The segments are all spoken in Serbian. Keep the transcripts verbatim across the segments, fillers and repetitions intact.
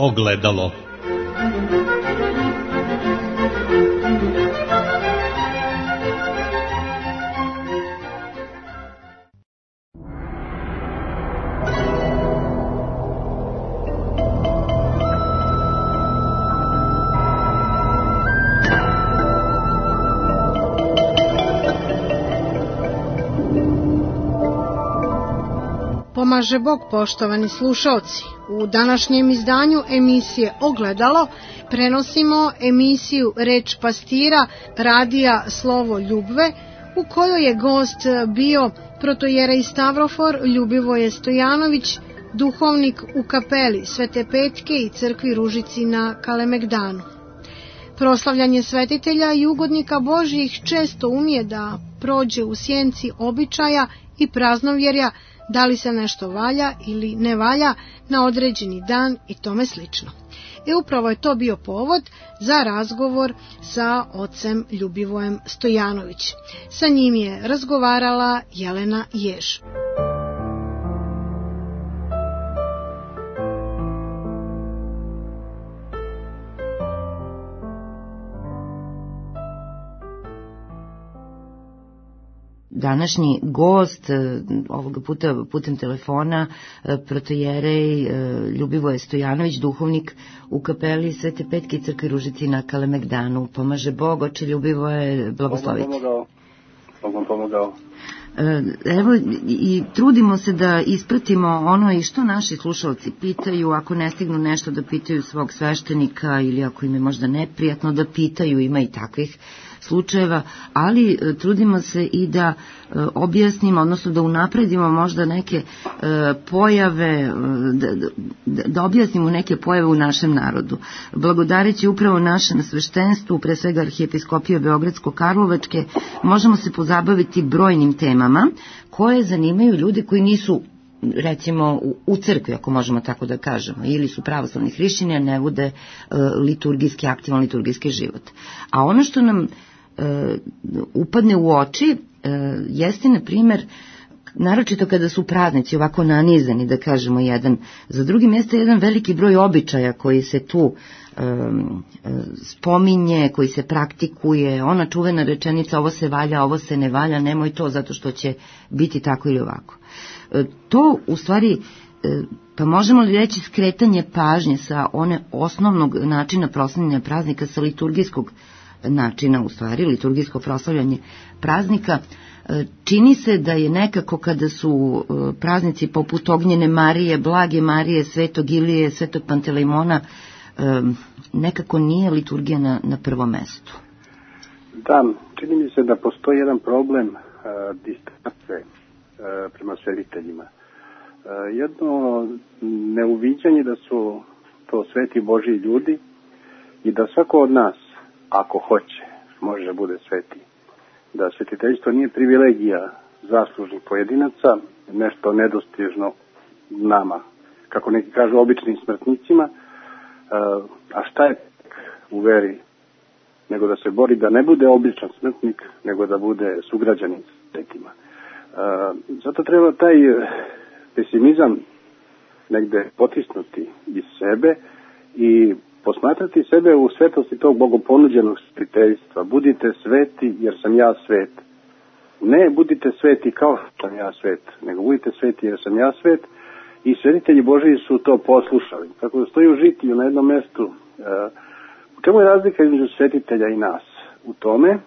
Ogledalo. Pomaže Bog, poštovani slušalci. U današnjem izdanju emisije Ogledalo prenosimo emisiju Reč pastira radija Slovo Ljubve, u kojoj je gost bio protojerej Stavrofor Ljubivoje Stojanović, duhovnik u kapeli Svete Petke i crkvi Ružici na Kalemegdanu. Proslavljanje svetitelja i ugodnika Božjih često umije da prođe u sjenci običaja i praznovjerja, da li se nešto valja ili ne valja na određeni dan i tome slično. I upravo je to bio povod za razgovor sa ocem Ljubivojem Stojanović. Sa njim je razgovarala Jelena Jež. Današnji gost, ovoga puta putem telefona, protojerej Ljubivoje Stojanović, duhovnik u kapeli Svete Petke i crkvi Ružici na Kalemegdanu. Pomaže Bog, oče Ljubivoje, blagoslovite. Pomogao, Bogom pomogao. Evo, i trudimo se da ispratimo ono i što naši slušalci pitaju, ako ne stignu nešto da pitaju svog sveštenika ili ako im je možda neprijatno da pitaju, ima i takvih slučajeva, ali trudimo se i da objasnimo, odnosno da unapredimo možda neke pojave, da, da, da objasnimo neke pojave u našem narodu. Blagodareći upravo našem sveštenstvu, pre svega Arhijepiskopije Beogradsko-Karlovačke, možemo se pozabaviti brojnim temama koje zanimaju ljude koji nisu, recimo, u crkvi, ako možemo tako da kažemo, ili su pravoslavni hrišćani, a ne vode liturgijski, aktivan liturgijski život. A ono što nam upadne u oči jeste, na primjer, naročito kada su praznici ovako nanizani, da kažemo, jedan za drugim, jeste jedan veliki broj običaja koji se tu um, spominje, koji se praktikuje, ona čuvena rečenica ovo se valja, ovo se ne valja, nemoj to zato što će biti tako ili ovako. To u stvari, pa možemo li reći, skretanje pažnje sa one osnovnog načina proslavljanja praznika, sa liturgijskog načina, u stvari, liturgijsko proslavljanje praznika. Čini se da je nekako kada su praznici poput Ognjene Marije, Blage Marije, Svetog Ilije, Svetog Pantelejmona, nekako nije liturgija na, na prvom mestu. Da, čini mi se da postoji jedan problem uh, distance uh, prema svetiteljima. Uh, jedno neuviđanje da su to sveti Božji ljudi i da svako od nas, ako hoće, može da bude sveti. Da svetiteljstvo nije privilegija zaslužnih pojedinaca, nešto nedostižno nama, kako neki kažu, običnim smrtnicima, a šta je u veri, nego da se bori da ne bude običan smrtnik, nego da bude sugrađanin svetima. Zato treba taj pesimizam negde potisnuti iz sebe i posmatrati sebe u svetosti tog bogoponuđenog svetiteljstva. Budite sveti jer sam ja svet. Ne budite sveti kao što sam ja svet, nego budite sveti jer sam ja svet. I svetitelji Božiji su to poslušali. Tako da stoji u žitiju na jednom mestu. U čemu je razlika između svetitelja i nas? U tome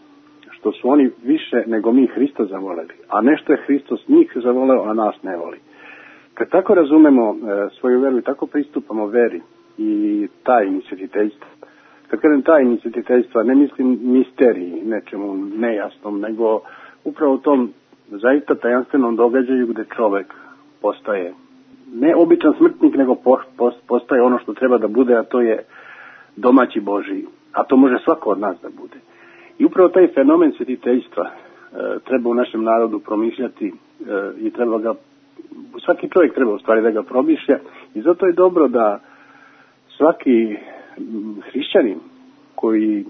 što su oni više nego mi Hrista zavoleli, a nešto je Hristos njih zavoleo, a nas ne voli. Kad tako razumemo svoju veru i tako pristupamo veri i tajni svetiteljstva. Kad kažem tajni svetiteljstva, ne mislim misteriji, nečemu nejasnom, nego upravo u tom zaista tajanstvenom događaju gde čovek postaje ne običan smrtnik, nego postaje ono što treba da bude, a to je domaći Božiji. A to može svako od nas da bude. I upravo taj fenomen svetiteljstva e, treba u našem narodu promišljati e, i treba ga, svaki čovjek treba u stvari da ga promišlja i zato je dobro da svaki hrišćanin koji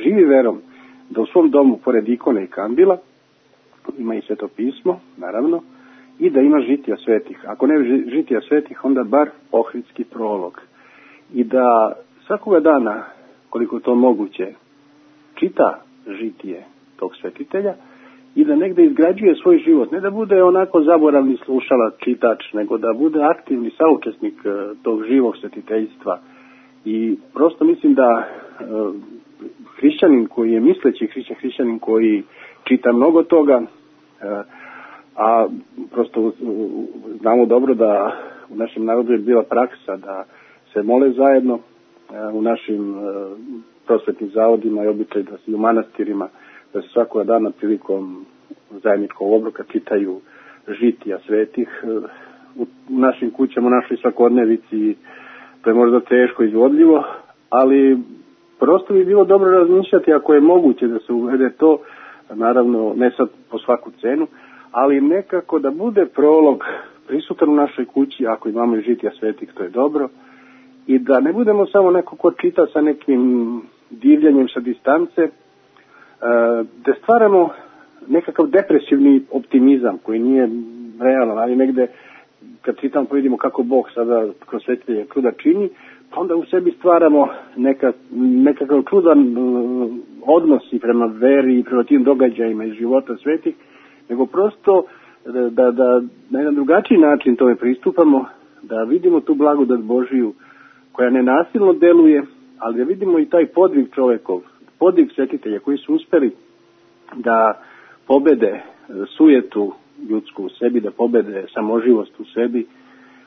živi verom, da u svom domu pored ikone i kandila ima i sveto pismo, naravno, i da ima žitija svetih. Ako ne žitija svetih, onda bar ohridski prolog. i da svakoga dana, koliko to moguće, čita žitije tog svetitelja i da negde izgrađuje svoj život. Ne da bude onako zaboravni slušalac, čitač, nego da bude aktivni saučesnik tog živog svetiteljstva. I prosto mislim da e, hrišćanin koji je misleći hrišćan, hrišćanin koji čita mnogo toga, e, a prosto znamo dobro da u našem narodu je bila praksa da se mole zajedno e, u našim e, prosvetnim zavodima i običaj da se u manastirima, da se svakoga dana prilikom zajedničkog obroka čitaju žitija svetih. U našim kućama, u našoj svakodnevici to je možda teško izvodljivo, ali prosto bi bilo dobro razmišljati ako je moguće da se uvede to, naravno ne sad po svaku cenu, ali nekako da bude prolog prisutan u našoj kući, ako imamo i žitija svetih, to je dobro, i da ne budemo samo neko ko čita sa nekim divljanjem sa distance, da stvaramo nekakav depresivni optimizam koji nije realan, ali negde kad čitam pa vidimo kako Bog sada kroz svetitelje čuda čini, pa onda u sebi stvaramo neka, nekakav čudan odnos i prema veri i prema tim događajima iz života svetih, nego prosto da, da, da na jedan drugačiji način tome pristupamo, da vidimo tu blagodat Božiju koja nenasilno deluje, ali da vidimo i taj podvig čovekov, podvig svetitelja koji su uspeli da pobede sujetu ljudsku u sebi, da pobede samoživost u sebi,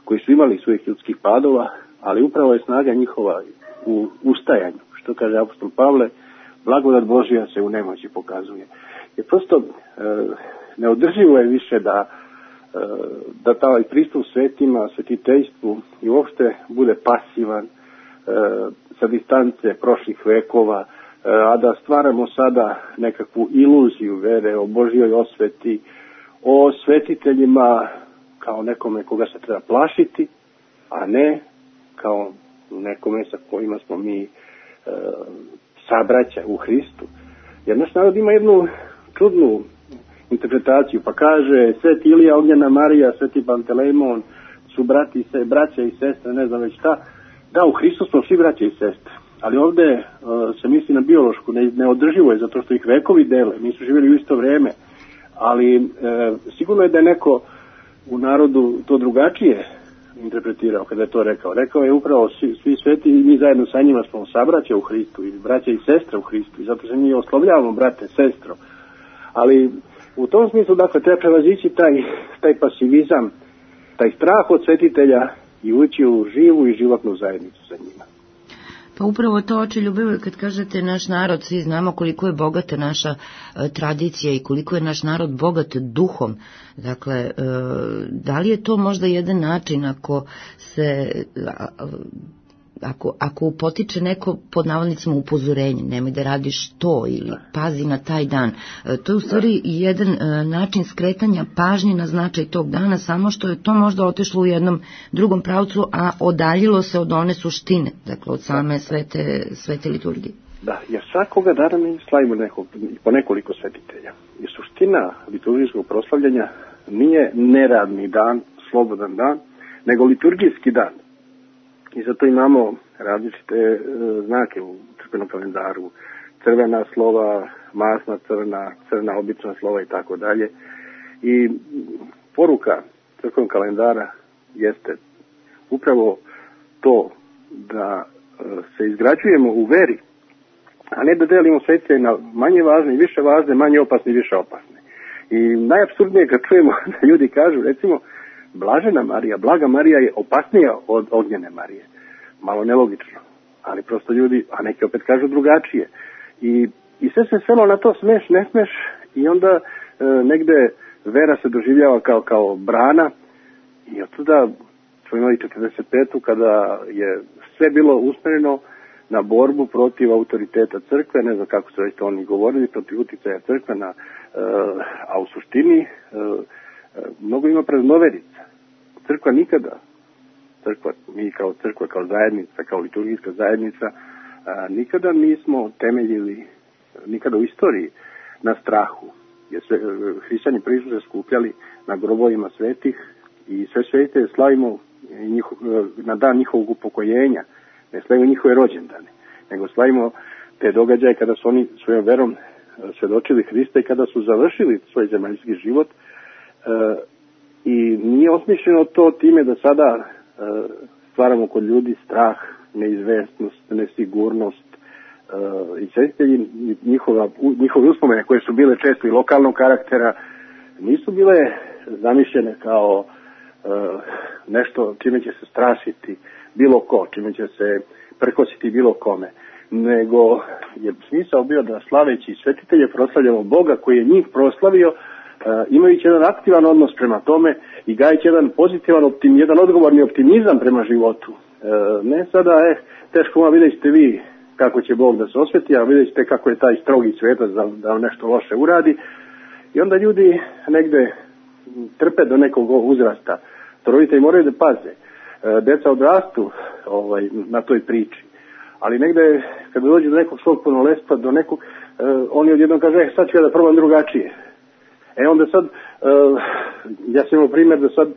koji su imali svojih ljudskih padova, ali upravo je snaga njihova u ustajanju. Što kaže apostol Pavle, blagodat Božja se u nemoći pokazuje. Jer prosto e, neodrživo je više da e, da taj pristup svetima, svetiteljstvu i uopšte bude pasivan e, sa distance prošlih vekova, a da stvaramo sada nekakvu iluziju vere o Božjoj osveti, o svetiteljima kao nekome koga se treba plašiti, a ne kao nekome sa kojima smo mi e, sabraća u Hristu. Jer naš narod ima jednu čudnu interpretaciju, pa kaže Sveti Ilija, Ognjena Marija, Sveti Pantelejmon su brati se, braća i sestre, ne znam već šta. Da, u Hristu smo svi braća i sestre. Ali ovde uh, se misli na biološku, ne, neodrživo je zato što ih vekovi dele, nisu živjeli u isto vreme, ali uh, sigurno je da je neko u narodu to drugačije interpretirao kada je to rekao. Rekao je upravo svi, svi sveti i mi zajedno sa njima smo sabraća u Hristu i braća i sestre u Hristu i zato se mi oslovljavamo brate, sestro. Ali u tom smislu, dakle, treba prevazići taj, taj pasivizam, taj strah od svetitelja i ući u živu i životnu zajednicu sa njima. Pa upravo to, oče ljubavi, kad kažete naš narod, svi znamo koliko je bogata naša e, tradicija i koliko je naš narod bogat duhom. Dakle, e, da li je to možda jedan način ako se... A, Ako, ako potiče neko pod navodnicima upozorenje, nemoj da radiš to ili pazi na taj dan, to je u stvari jedan način skretanja pažnje na značaj tog dana, samo što je to možda otišlo u jednom drugom pravcu, a odaljilo se od one suštine, dakle od same svete, svete liturgije. Da, jer svakoga dana mi slavimo nekog, po nekoliko svetitelja. I suština liturgijskog proslavljanja nije neradni dan, slobodan dan, nego liturgijski dan. I zato imamo različite e, znake u crkvenom kalendaru, crvena slova, masna crna, crna obična slova i tako dalje. I poruka crkvenog kalendara jeste upravo to da e, se izgrađujemo u veri, a ne da delimo svetitelje na manje važne i više važne, manje opasne i više opasne. I najapsurdnije kad čujemo da ljudi kažu, recimo, Blažena Marija, Blaga Marija je opasnija od Ognjene Marije. Malo nelogično, ali prosto ljudi, a neki opet kažu drugačije. I, i sve se svelo na to smeš, ne smeš i onda e, negde vera se doživljava kao, kao brana i od tada smo imali četrdeset petu kada je sve bilo usmereno na borbu protiv autoriteta crkve, ne znam kako su već to oni govorili, protiv uticaja crkve, na, e, a u suštini e, mnogo ima praznoverica. Crkva nikada, crkva, mi kao crkva, kao zajednica, kao liturgijska zajednica, a, nikada nismo temeljili, nikada u istoriji, na strahu. Jer sve, hrišćani prvi su se skupljali na grobovima svetih i sve svete slavimo njihov, na dan njihovog upokojenja, ne slavimo njihove rođendane, nego slavimo te događaje kada su oni svojom verom svedočili Hrista i kada su završili svoj zemaljski život. E, I nije osmišljeno to time da sada e, stvaramo kod ljudi strah, neizvestnost, nesigurnost. E, I svetitelji, njihova, njihove uspomene koje su bile često i lokalnog karaktera, nisu bile zamišljene kao e, nešto čime će se strašiti bilo ko, čime će se prkositi bilo kome, nego je smisao bio da slaveći svetitelje proslavljamo Boga koji je njih proslavio, imajući jedan aktivan odnos prema tome i gajeći jedan pozitivan optim, jedan odgovorni optimizam prema životu. Ne sada, eh, teško vam vidjet ćete vi kako će Bog da se osveti, a vidjet ćete kako je taj strogi svetac da, da vam nešto loše uradi. I onda ljudi negde trpe do nekog uzrasta. To roditelji moraju da paze. Deca odrastu ovaj, na toj priči. Ali negde, kada dođe do nekog svog punoletstva, do nekog, uh, oni odjednom kaže, eh, sad ću ja da probam drugačije. E onda sad, uh, ja sam imao primjer da sad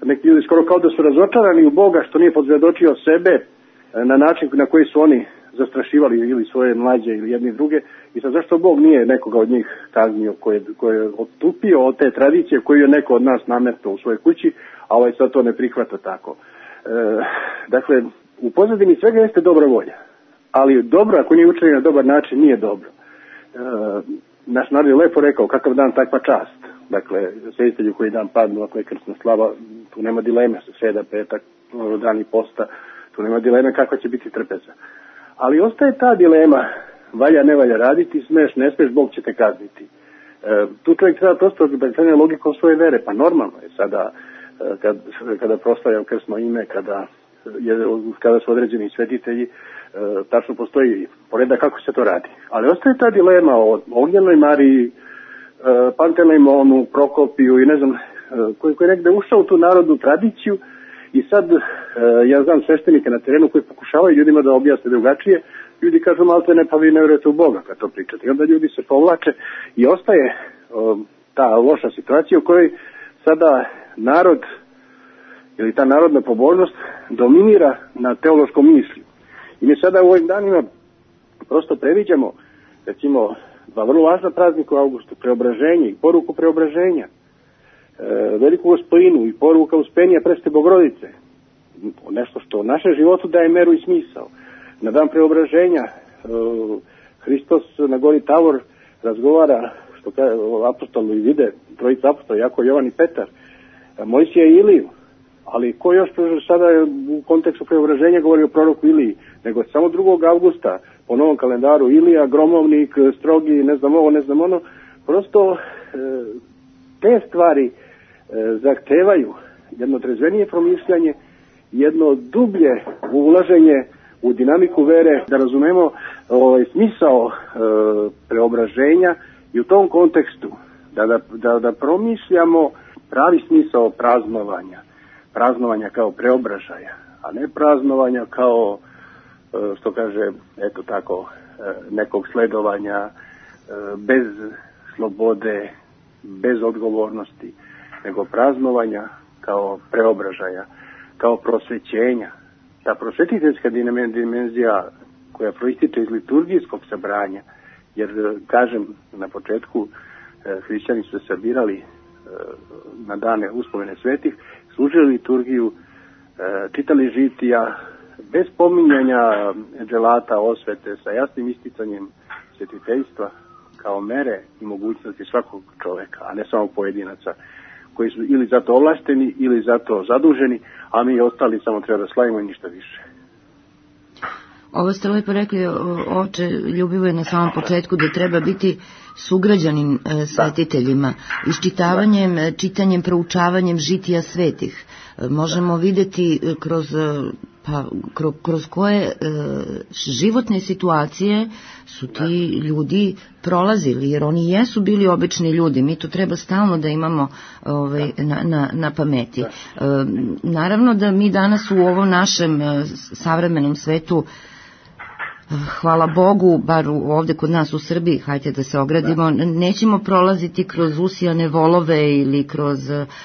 neki ljudi skoro kao da su razočarani u Boga što nije podsvjedočio sebe uh, na način na koji su oni zastrašivali ili svoje mlađe ili jedni druge. I sad zašto Bog nije nekoga od njih kaznio koji ko je odstupio od te tradicije koju je neko od nas nametno u svojoj kući, a ovaj sad to ne prihvata tako. Uh, dakle, u pozadini svega jeste dobra volja, ali dobro ako nije učinjeno na dobar način nije dobro. E, naš narod je lepo rekao kakav dan takva čast. Dakle, svetitelju koji dan padnu, ako je krsna slava, tu nema dileme, sa sreda, petak, dan i posta, tu nema dileme kakva će biti trpeza. Ali ostaje ta dilema, valja, ne valja raditi, smeš, ne smeš, Bog će te kazniti. E, tu čovjek treba prosto da logikom svoje vere, pa normalno je sada kad, kada proslavljam krsno ime, kada Je, kada su određeni svetitelji, e, tačno postoji poredak kako se to radi. Ali ostaje ta dilema o Ognjenoj Mariji, e, Pantelejmonu, Prokopiju i ne znam, e, koji, koji je negde ušao u tu narodnu tradiciju i sad e, ja znam sveštenike na terenu koji pokušavaju ljudima da objasne drugačije. Ljudi kažu malte ne, pa vi ne vjerujete u Boga kad to pričate. I onda ljudi se povlače i ostaje e, ta loša situacija u kojoj sada narod ili ta narodna pobožnost dominira na teološkom mišlju. I mi sada u ovim danima prosto previđamo, recimo, dva vrlo važna praznika u avgustu, preobraženje i poruku preobraženja, e, veliku gospojinu i poruka uspenija Preste Bogorodice, nešto što u našem životu daje meru i smisao. Na dan preobraženja e, Hristos na gori Tavor razgovara, što kaže apostolu i vide, trojica apostola, Jakov, Jovan i Petar, Mojsija i Iliju. Ali ko još sada u kontekstu preobraženja govori o proroku Iliji, nego samo drugog avgusta po novom kalendaru Ilija, gromovnik, strogi, ne znam ovo, ne znam ono, prosto e, te stvari e, zahtevaju jedno trezvenije promišljanje, jedno dublje ulaženje u dinamiku vere, da razumemo ovaj, smisao e, preobraženja i u tom kontekstu da, da, da, da promišljamo pravi smisao praznovanja. Praznovanja kao preobražaja, a ne praznovanja kao, što kaže, eto tako, nekog sledovanja bez slobode, bez odgovornosti, nego praznovanja kao preobražaja, kao prosvećenja. Ta prosvetiteljska dimenzija koja proističe iz liturgijskog sabranja, jer, kažem, na početku hrišćani su se sabirali na dane uspomene svetih, služili liturgiju, čitali žitija, bez pominjanja dželata, osvete, sa jasnim isticanjem svetiteljstva kao mere i mogućnosti svakog čoveka, a ne samo pojedinaca koji su ili zato ovlašteni ili zato zaduženi, a mi ostali samo treba da slavimo i ništa više. Ovo ste lepo rekli, oče Ljubivoje, na samom početku, da treba biti sugrađanin e, svetiteljima. Iščitavanjem, da. čitanjem, proučavanjem žitija svetih e, možemo vidjeti kroz, pa, kroz, kroz koje e, životne situacije su ti ljudi prolazili, jer oni jesu bili obični ljudi. Mi to treba stalno da imamo ovaj, na, na, na pameti. E, naravno da mi danas u ovom našem savremenom svetu hvala Bogu, bar ovde kod nas u Srbiji, hajde da se ogradimo, da. Nećemo prolaziti kroz usijane volove ili kroz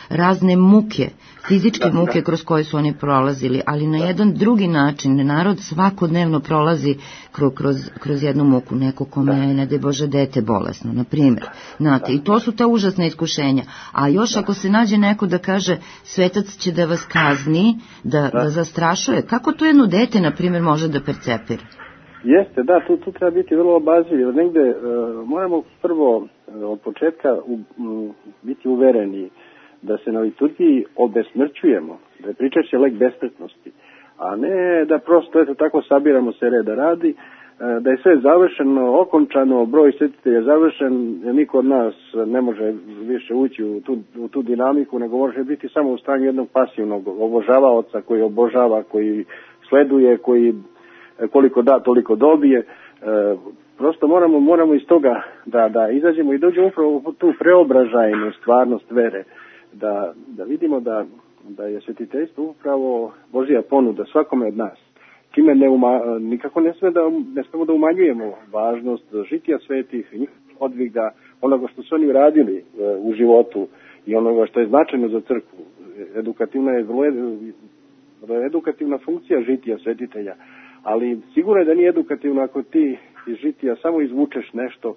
razne muke, fizičke da, muke da. Kroz koje su oni prolazili, ali na da. Jedan drugi način. Narod svakodnevno prolazi kroz, kroz, kroz jednu muku, neko kome je, ne daj Bože, dete bolesno, na primjer. Znate, i to su ta užasna iskušenja. A još ako se nađe neko da kaže svetac će da vas kazni, da, da. Da zastrašuje, kako to jedno dete, na primjer, može da percepira? Jeste, da, tu, tu treba biti vrlo obazriv. Negde e, moramo prvo e, od početka u, m, biti uvereni da se na liturgiji obesmrćujemo, da je pričaće lek besmrtnosti, a ne da prosto eto tako sabiramo se reda radi, e, da je sve završeno, okončano, broj svetitelja završen, niko od nas ne može više ući u tu, u tu dinamiku, nego može biti samo u stanju jednog pasivnog obožavaoca koji obožava, koji sleduje, koji koliko da, toliko dobije. E, prosto moramo, moramo iz toga da, da izađemo i dođemo upravo u tu preobražajnu stvarnost vere, da, da vidimo da, da je svetiteljstvo upravo Božja ponuda svakome od nas. Čime ne uma, nikako ne sme da, ne smemo da umanjujemo važnost žitija svetih, njihovih odviga, onoga što su oni radili e, u životu i onoga što je značajno za crkvu. Edukativna je vrlo, vrlo edukativna funkcija žitija svetitelja. Ali sigurno je da nije edukativno ako ti iz žitija samo izvučeš nešto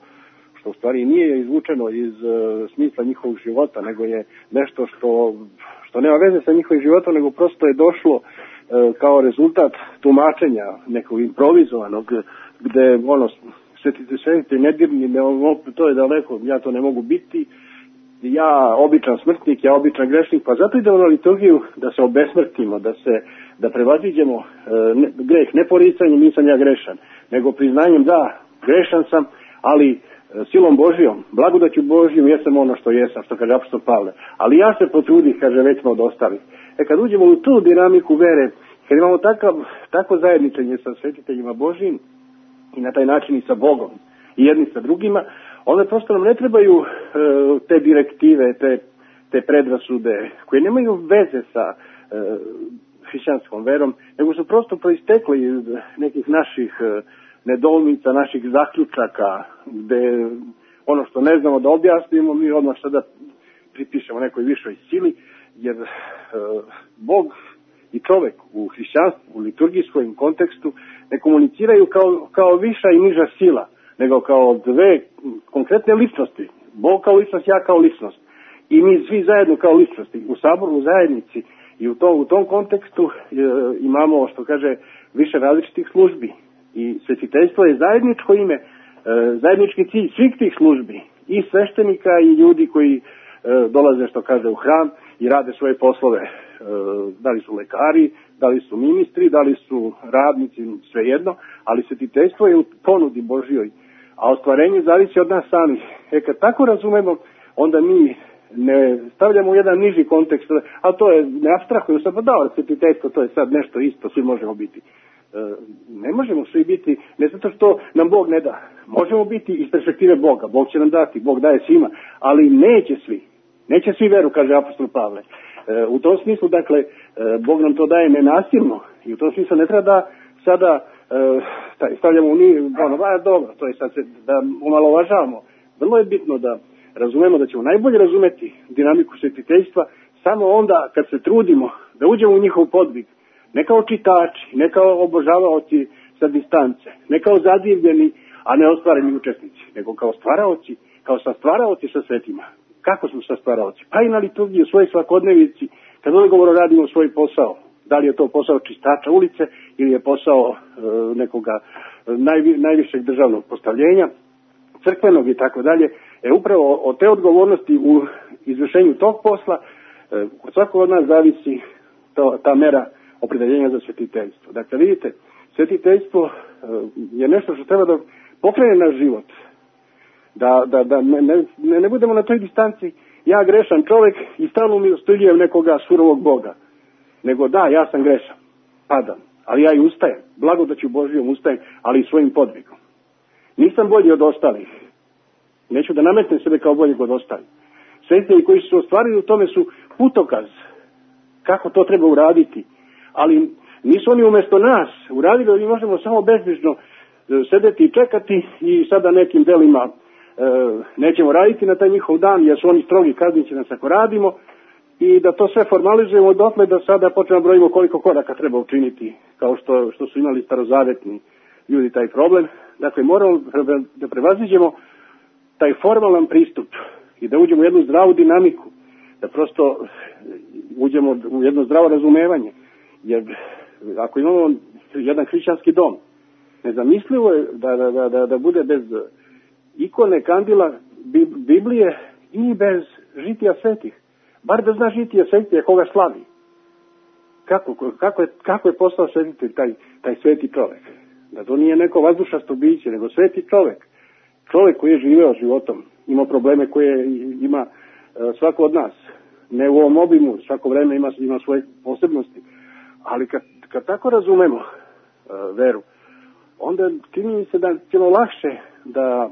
što u stvari nije izvučeno iz uh, smisla njihovog života, nego je nešto što, što nema veze sa njihovim životom, nego prosto je došlo uh, kao rezultat tumačenja nekog improvizovanog, gde ono, svetite, svetite nedirni, ne, to je daleko, ja to ne mogu biti, ja običan smrtnik, ja običan grešnik, pa zato idemo na liturgiju da se obesmrtimo, da se da prevaziđemo e, ne, greh, ne poricanjem nisam ja grešan, nego priznanjem da, grešan sam, ali e, silom Božijom, blagodaću Božijom jesam ono što jesam, što kaže apostol Pavle. Ali ja se potrudih, kaže, već smo od ostalih. E kad uđemo u tu dinamiku vere, kad imamo takav, tako zajedničenje sa svetiteljima Božijim i na taj način i sa Bogom i jedni sa drugima, onda prosto nam ne trebaju e, te direktive, te, te predrasude koje nemaju veze sa e, hrišćanskom verom, nego su prosto proistekli iz nekih naših e, nedoumica, naših zaključaka, gde ono što ne znamo da objasnimo, mi odmah sada pripišemo nekoj višoj sili, jer e, Bog i čovek u hrišćanstvu, u liturgijskom kontekstu ne komuniciraju kao, kao viša i niža sila, nego kao dve konkretne ličnosti. Bog kao ličnost, ja kao ličnost. I mi svi zajedno kao ličnosti. U saboru, u zajednici i u tom, u tom kontekstu e, imamo, što kaže, više različitih službi. I svetiteljstvo je zajedničko ime, e, zajednički cilj svih tih službi. I sveštenika i ljudi koji e, dolaze, što kaže, u hram i rade svoje poslove. E, da li su lekari, da li su ministri, da li su radnici, svejedno, ali svetiteljstvo je u ponudi Božjoj, a ostvarenje zavisi od nas samih. E kad tako razumemo, onda mi ne stavljamo u jedan niži kontekst, a to je, ne apstrahuju se, pa da, svetiteljstvo, to je sad nešto isto, svi možemo biti. E, ne možemo svi biti, ne zato što nam Bog ne da. Možemo biti iz perspektive Boga, Bog će nam dati, Bog daje svima, ali neće svi. Neće svi veru, kaže apostol Pavle. E, u tom smislu, dakle, e, Bog nam to daje nenasilno i u tom smislu ne treba da sada e, stavljamo u njih, ono, ba, dobro, to je sad se, da omalovažavamo. Vrlo je bitno da razumemo da ćemo najbolje razumeti dinamiku svetiteljstva samo onda kad se trudimo da uđemo u njihov podvig, ne kao čitači, ne kao obožavaoci sa distance, ne kao zadivljeni, a ne ostvareni učesnici, nego kao stvaraoci, kao sastvaraoci sa svetima. Kako smo sastvaraoci? Pa i na liturgiji, u svojoj svakodnevici, kad odgovorno radimo svoj posao. Da li je to posao čistača ulice ili je posao e, nekoga najvi, najvišeg državnog postavljenja, crkvenog i tako dalje. E upravo od te odgovornosti u izvršenju tog posla e, od svakog od nas zavisi to, ta mera opredeljenja za svetiteljstvo. Dakle, vidite, svetiteljstvo e, je nešto što treba da pokrene naš život. Da, da, da ne, ne, ne budemo na toj distanci ja grešan čovjek i stalno mi ustiljujem nekoga surovog Boga. Nego da, ja sam grešan, padam, ali ja i ustajem, blagodaću Božijom ustajem, ali i svojim podvigom. Nisam bolji od ostalih, neću da nametnem sebe kao boljeg od ostalih. Svetitelji koji su ostvarili u tome su putokaz kako to treba uraditi, ali nisu oni umjesto nas uradili, ali mi možemo samo bezbrižno sedeti i čekati i sada nekim delima e, nećemo raditi na taj njihov dan jer su oni strogi, kazniće nas ako radimo, i da to sve formalizujemo dotle da sada počnemo brojimo koliko koraka treba učiniti, kao što, što su imali starozavetni ljudi taj problem. Dakle, moramo da prevaziđemo taj formalan pristup i da uđemo u jednu zdravu dinamiku, da prosto uđemo u jedno zdravo razumevanje. Jer ako imamo jedan hrišćanski dom, nezamislivo je da, da, da, da bude bez ikone, kandila, Biblije i bez žitija svetih. Bar da zna žitija svetih koga slavi. Kako, kako, je, kako je postao svetitelj taj, taj sveti čovek? Da to nije neko vazdušasto biće, nego sveti čovek. Čovek koji je živeo životom, ima probleme koje ima svako od nas. Ne u ovom obimu, svako vreme ima, ima svoje posebnosti. Ali kad, kad tako razumemo uh, veru, onda čini mi se da ćemo lakše da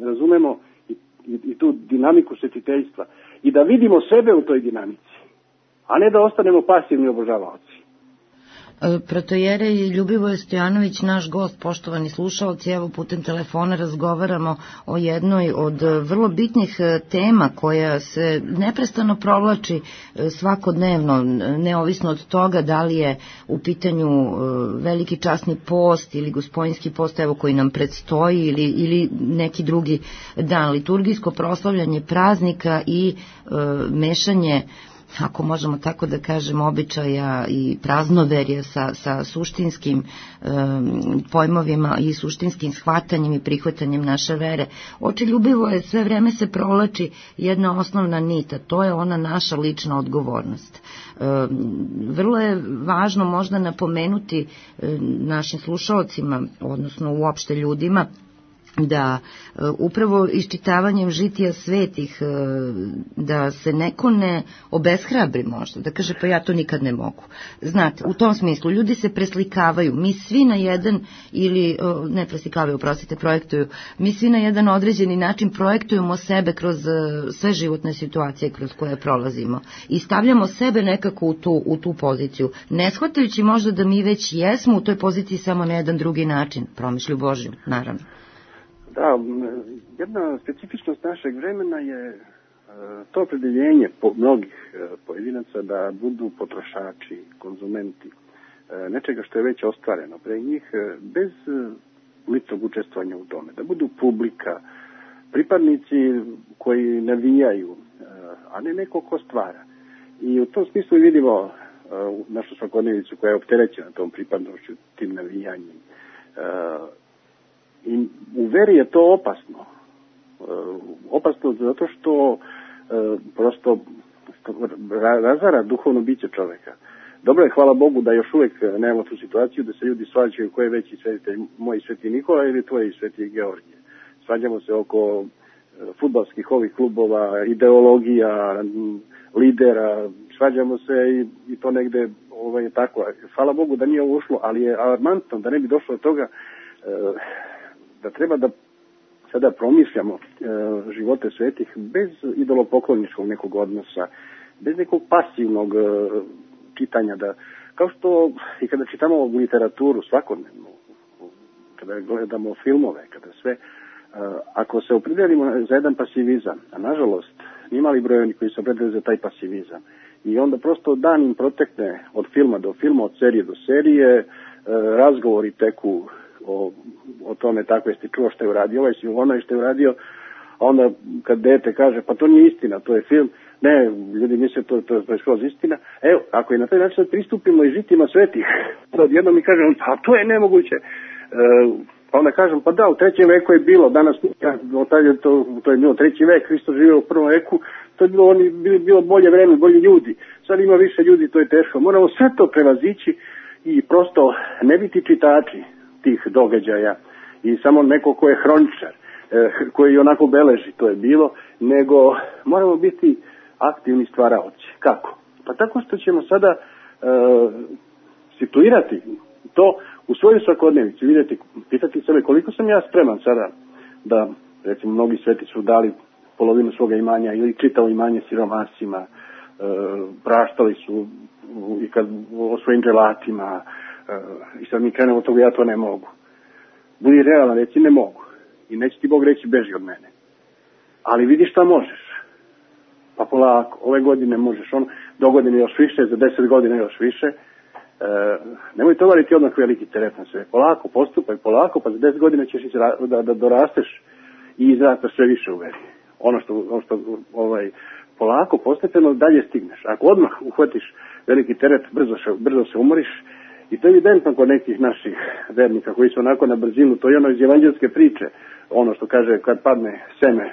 razumemo i, i, i tu dinamiku svetiteljstva i da vidimo sebe u toj dinamici, a ne da ostanemo pasivni obožavaoci. Protojerej Ljubivoje Stojanović, naš gost, poštovani slušalci, evo putem telefona razgovaramo o jednoj od vrlo bitnih tema koja se neprestano provlači svakodnevno, neovisno od toga da li je u pitanju veliki časni post ili Gospodinjski post, evo koji nam predstoji, ili, ili neki drugi dan, liturgijsko proslavljanje praznika i e, mešanje, ako možemo tako da kažemo, običaja i praznoverja sa, sa suštinskim um, pojmovima i suštinskim shvatanjem i prihvatanjem naše vere. Očeljubivo je, sve vreme se provlači jedna osnovna nita, to je ona naša lična odgovornost. Um, vrlo je važno možda napomenuti um, našim slušalcima, odnosno uopšte ljudima, da uh, upravo iščitavanjem žitija svetih uh, da se neko ne obeshrabri možda, da kaže pa ja to nikad ne mogu. Znate, u tom smislu ljudi se preslikavaju, mi svi na jedan ili, uh, ne preslikavaju, oprostite, projektuju, mi svi na jedan određeni način projektujemo sebe kroz uh, sve životne situacije kroz koje prolazimo i stavljamo sebe nekako u tu, u tu poziciju, ne shvatajući možda da mi već jesmo u toj poziciji samo na jedan drugi način, promišlju Božju, naravno. Da, jedna specifičnost našeg vremena je to opredeljenje po mnogih pojedinaca da budu potrošači, konzumenti nečega što je već ostvareno pre njih bez ličnog učestvovanja u tome, da budu publika, pripadnici koji navijaju, a ne neko ko stvara. I u tom smislu vidimo našu svakodnevicu koja je opterećena tom pripadnošću, tim navijanjem. I u veri je to opasno. E, opasno zato što e, prosto razara duhovno biće čoveka. Dobro je, hvala Bogu, da još uvek nemamo tu situaciju da se ljudi svađaju ko je veći svetitelj, moj sveti Nikola ili tvoj sveti Georgije. Svađamo se oko fudbalskih ovih klubova, ideologija, lidera, svađamo se i, i to negde ovaj, je tako. Hvala Bogu da nije ovo ušlo, ali je alarmantno da ne bi došlo do toga e, da treba da sada promišljamo e, živote svetih bez idolopokloničkog nekog odnosa, bez nekog pasivnog e, čitanja, da, kao što i kada čitamo literaturu svakodnevno, kada gledamo filmove, kada sve, e, ako se opredelimo za jedan pasivizam, a nažalost nimali broj oni koji se opredelili za taj pasivizam, i onda prosto dan im protekne od filma do filma, od serije do serije, e, razgovori teku O, o tome tako, jesi čuo što je uradio ovaj, si onaj što je uradio, a onda kad dete kaže pa to nije istina, to je film, ne, ljudi misle to, to, to je skroz istina. Evo, ako je na taj način pristupimo i žitima svetih, jednom mi kažem, pa to je nemoguće. E, pa onda kažem, pa da, u trećem veku je bilo, danas to, to je bilo treći vek, Hristo živio u prvom veku, to je bilo, oni, bilo bolje vreme, bolji ljudi, sad ima više ljudi, to je teško. Moramo sve to prevazići i prosto ne biti čitači tih događaja i samo neko ko je hroničar, koji onako beleži, to je bilo, nego moramo biti aktivni stvaraoci. Kako? Pa tako što ćemo sada e, situirati to u svoju svakodnevicu, vidjeti, pitati sebe koliko sam ja spreman sada da, recimo, mnogi sveti su dali polovinu svoga imanja ili čitao imanje siromasima, e, praštali su i kad o svojim dželatima, e, i sad mi krenemo od toga, ja to ne mogu. Budi realan, reci ne mogu. I neće ti Bog reći beži od mene. Ali vidi šta možeš. Pa polako, ove godine možeš ono, do godine još više, za deset godina još više. E, nemoj tovariti odmah veliki teret na sve. Polako, postupaj, polako, pa za deset godina ćeš da, da dorasteš i izrastaš sve više u veri. Ono što, ono što ovaj, polako, postepeno dalje stigneš. Ako odmah uhvatiš veliki teret, brzo, brzo se umoriš. I to je evidentno kod nekih naših vernika koji su onako na brzinu. To je ono iz evanđelske priče. Ono što kaže kad padne seme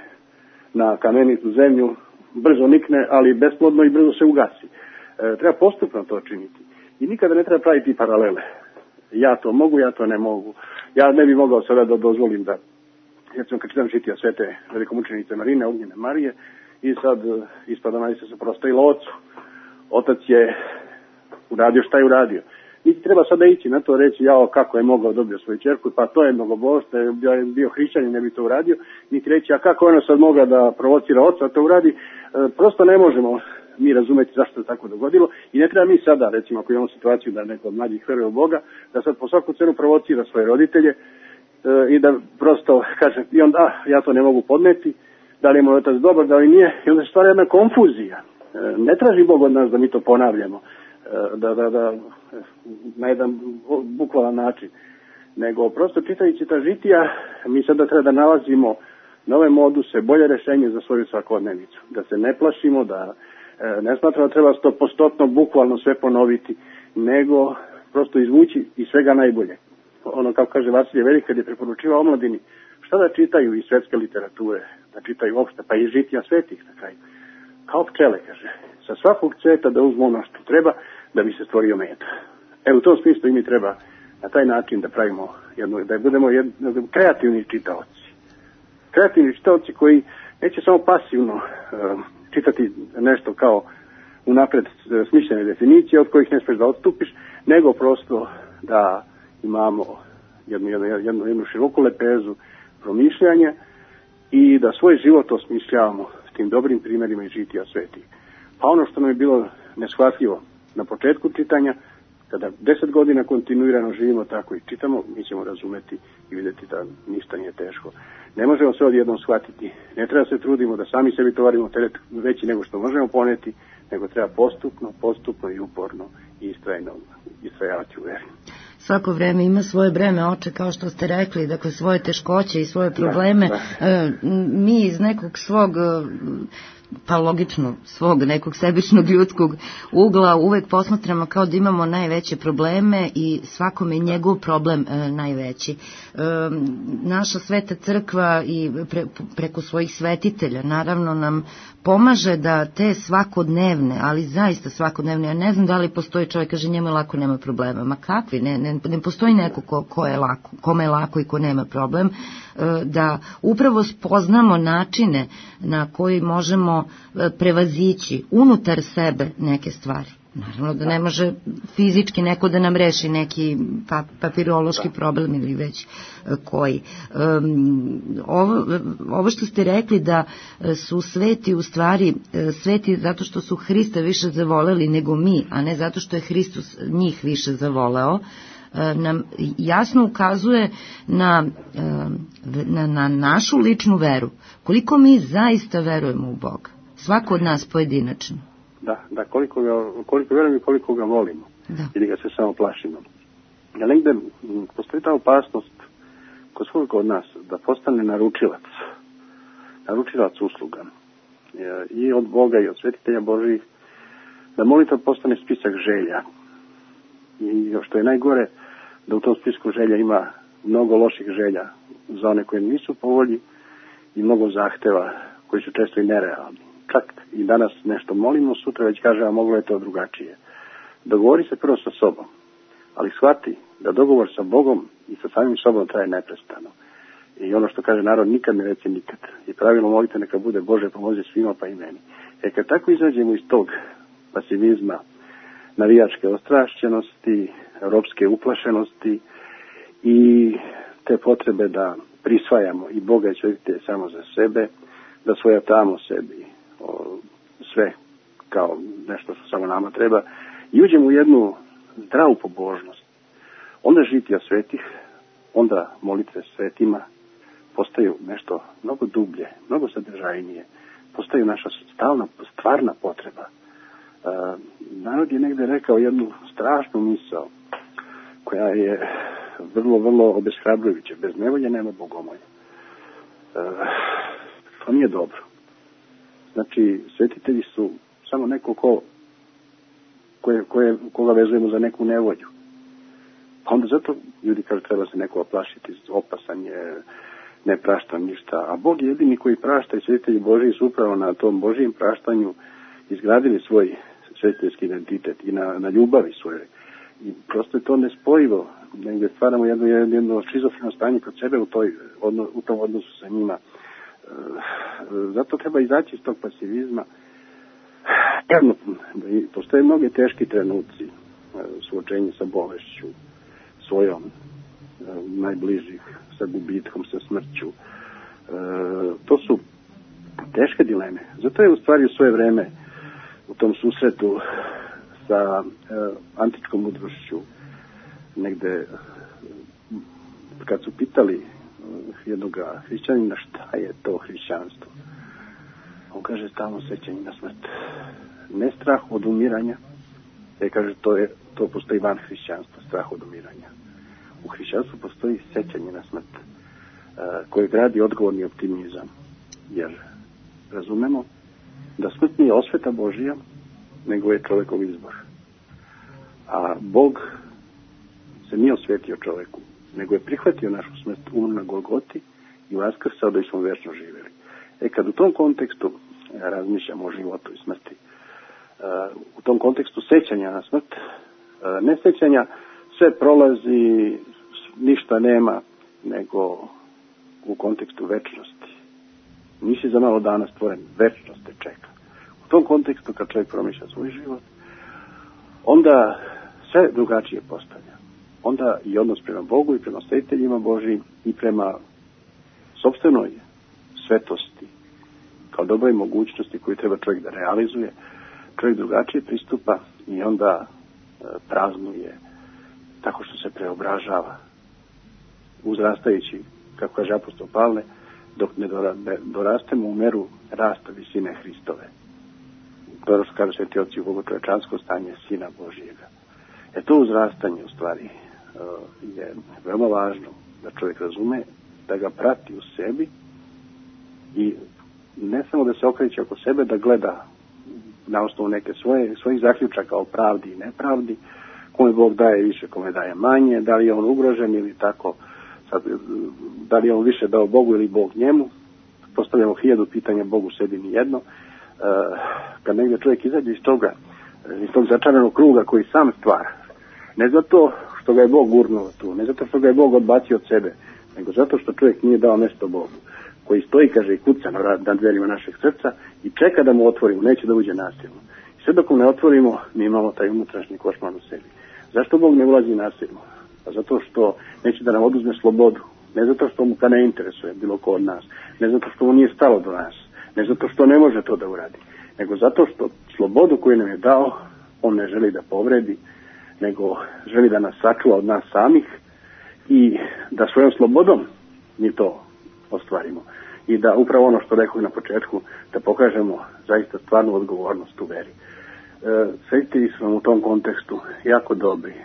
na kamenitu zemlju, brzo nikne, ali besplodno i brzo se ugasi. E, treba postupno to činiti. I nikada ne treba praviti paralele. Ja to mogu, ja to ne mogu. Ja ne bi mogao sada da dozvolim da, recimo kad čitam žitija svete velikomučenice Marine, Ognjene Marije, i sad ispada najse se prostajila ocu. Otac je uradio šta je uradio. Niti treba sada ići na to reći, jao, kako je mogao dobio svoju ćerku, pa to je mnogobožstvo, je bio hrišćanin, ne bi to uradio, niti reći, a kako ona sad mogla da provocira oca, to uradi, e, prosto ne možemo mi razumeti zašto je tako dogodilo i ne treba mi sada, recimo, ako imamo situaciju da neko od mlađih veruje u Boga, da sad po svaku cenu provocira svoje roditelje e, i da prosto kaže, i onda, ah, ja to ne mogu podneti, da li je moj otac dobar, da li nije, i onda se stvara jedna konfuzija. E, ne traži Bog od nas da mi to ponavljamo. Da, da, da, na jedan bukvalan način, nego prosto čitajući ta žitija, mi sada treba da nalazimo nove moduse, bolje rešenje za svoju svakodnevicu, da se ne plašimo, da e, ne smatramo da treba stopostotno bukvalno sve ponoviti, nego prosto izvući iz svega najbolje. Ono kao kaže Vasilije Velik kad je preporučivao omladini, šta da čitaju iz svetske literature, da čitaju opšte, pa i žitija svetih na kraju. Kao pčele, kaže, sa svakog cveta da uzmu ono što treba da bi se stvorio med. Evo u tom smislu i mi treba na taj način da pravimo jedno, da budemo jedno, kreativni čitaoci. Kreativni čitaoci koji neće samo pasivno uh, čitati nešto kao unapred smišljene definicije od kojih ne smiješ da odstupiš, nego prosto da imamo jednu, jednu, jednu, jednu široku lepezu promišljanja i da svoj život osmišljavamo s tim dobrim primjerima i žitija svetih. Pa ono što nam je bilo neshvatljivo na početku čitanja, kada deset godina kontinuirano živimo tako i čitamo, mi ćemo razumeti i vidjeti da ništa nije teško. Ne možemo sve odjednom shvatiti, ne treba se trudimo da sami sebi tovarimo teret veći nego što možemo poneti, nego treba postupno, postupno i uporno i istrajno istrajavati u veri. Svako vreme ima svoje breme, oče, kao što ste rekli, dakle svoje teškoće i svoje probleme. Da, da. Mi iz nekog svog, pa logično, svog nekog sebičnog ljudskog ugla uvek posmatramo kao da imamo najveće probleme i svakome njegov problem e, najveći. E, naša sveta crkva i pre, preko svojih svetitelja naravno nam pomaže da te svakodnevne, ali zaista svakodnevne, ja ne znam da li postoji čovjek, kaže njemu je lako, nema problema. Ma kakvi, ne, ne, ne postoji neko ko, ko je lako, kome je lako i ko nema problem, da upravo spoznamo načine na koji možemo prevazići unutar sebe neke stvari. Naravno da ne može fizički neko da nam reši neki pa, papirološki problem ili već koji. Um, ovo, ovo što ste rekli da su sveti u stvari sveti zato što su Hrista više zavoleli nego mi, a ne zato što je Hristos njih više zavoleo, nam jasno ukazuje na, na, na našu ličnu veru. Koliko mi zaista verujemo u Boga. Svako od nas pojedinačno. Da, da, koliko ga, koliko vjerujemo i koliko ga volimo. Da. Ili ga se samo plašimo. Ja negde postoji ta opasnost kod svojeg od nas da postane naručilac. Naručilac usluga. I od Boga i od svetitelja Božih. Da molitva postane spisak želja. I što je najgore, da u tom spisku želja ima mnogo loših želja za one koje nisu po volji i mnogo zahteva koji su često i nerealni. Čak i danas nešto molimo, sutra već kaže, a moglo je to drugačije. Dogovori se prvo sa sobom, ali shvati da dogovor sa Bogom i sa samim sobom traje neprestano. I ono što kaže narod, nikad ne reci nikad. I pravilno molite neka bude Bože pomozi svima pa i meni. E kad tako izađemo iz tog pasivizma, navijačke ostrašćenosti, europske uplašenosti i te potrebe da prisvajamo i Boga i svetitelje samo za sebe, da svojatamo sebi o, sve kao nešto što samo nama treba i uđemo u jednu zdravu pobožnost. Onda žitija svetih onda molitve svetima postaju nešto mnogo dublje, mnogo sadržajnije, postaju naša stalna, stvarna potreba. E, narod je negde rekao jednu strašnu misao, koja je vrlo, vrlo obeshrabrujuća. Bez nevolje nema bogomolja. E, to nije dobro. Znači, svetitelji su samo neko ko, koje, koje, koga vezujemo za neku nevolju. Pa onda zato ljudi kažu treba se neko oplašiti, opasan je, ne prašta ništa. A Bog je jedini koji prašta i svetitelji Božiji su upravo na tom Božijem praštanju izgradili svoj svetiteljski identitet i na, na ljubavi svojoj. I prosto je to nespojivo. Negdje stvaramo jedno, jedno šizofreno stanje kod sebe u, toj, odno, u tom odnosu sa njima. E, zato treba izaći iz tog pasivizma. Jedno, postoje mnoge teški trenuci, suočenje sa bolešću, svojom, najbližih, sa gubitkom, sa smrću. E, to su teške dileme. Zato je u stvari u svoje vreme u tom susretu sa e, antičkom mudrošću negde kad su pitali jednog hrišćanina šta je to hrišćanstvo, on kaže stalno sećanje na smrt, ne strah od umiranja, jer kaže to, je, to postoji van hrišćanstva, strah od umiranja. U hrišćanstvu postoji sećanje na smrt e, koje gradi odgovorni optimizam, jer razumemo da smrt nije osveta Božija, nego je čovekov izbor. A Bog se nije osvetio čoveku, nego je prihvatio našu smrt, umro na Golgoti i vaskrsao da smo večno živjeli. E kad u tom kontekstu ja razmišljam o životu i smrti, u tom kontekstu sećanja na smrt, ne sećanja sve prolazi, ništa nema, nego u kontekstu večnosti. Nisi za malo dana stvoren, večnost te čeka. U tom kontekstu kad čovjek promišlja svoj život, onda sve drugačije postavlja. Onda i odnos prema Bogu i prema svetiteljima Božijim i prema sopstvenoj svetosti kao dobroj mogućnosti koju treba čovjek da realizuje, čovjek drugačije pristupa i onda e, praznuje tako što se preobražava, uzrastajući, kako kaže apostol Pavle, dok ne dorastemo u meru rasta visine Hristove. To je što kaže sveti oci u bogočovečansko stanje Sina Božijega. E to uzrastanje u stvari je veoma važno da čovjek razume, da ga prati u sebi i ne samo da se okreće oko sebe, da gleda na osnovu neke svoje, svojih zaključaka o pravdi i nepravdi, kome Bog daje više, kome daje manje, da li je on ugrožen ili tako, sad, da li je on više dao Bogu ili Bog njemu. Postavljamo hiljadu pitanja, Bogu sebi nijedno. E, kad negdje čovjek izađe iz toga, iz tog začaranog kruga koji sam stvara, ne zato što ga je Bog gurnuo tu, ne zato što ga je Bog odbacio od sebe, nego zato što čovjek nije dao mjesto Bogu, koji stoji, kaže, i kuca na, na dverima našeg srca i čeka da mu otvorimo, neće da uđe nasilno. I sve dok mu ne otvorimo, mi imamo taj unutrašnji košmar u sebi. Zašto Bog ne ulazi nasilno? Pa zato što neće da nam oduzme slobodu, ne zato što mu ga ne interesuje bilo ko od nas, ne zato što mu nije stalo do nas, ne zato što ne može to da uradi, nego zato što slobodu koju nam je dao, on ne želi da povredi, nego želi da nas sačuva od nas samih i da svojom slobodom mi to ostvarimo. I da upravo ono što rekao na početku, da pokažemo zaista stvarnu odgovornost u veri. E, svetitelji su nam u tom kontekstu jako dobri e,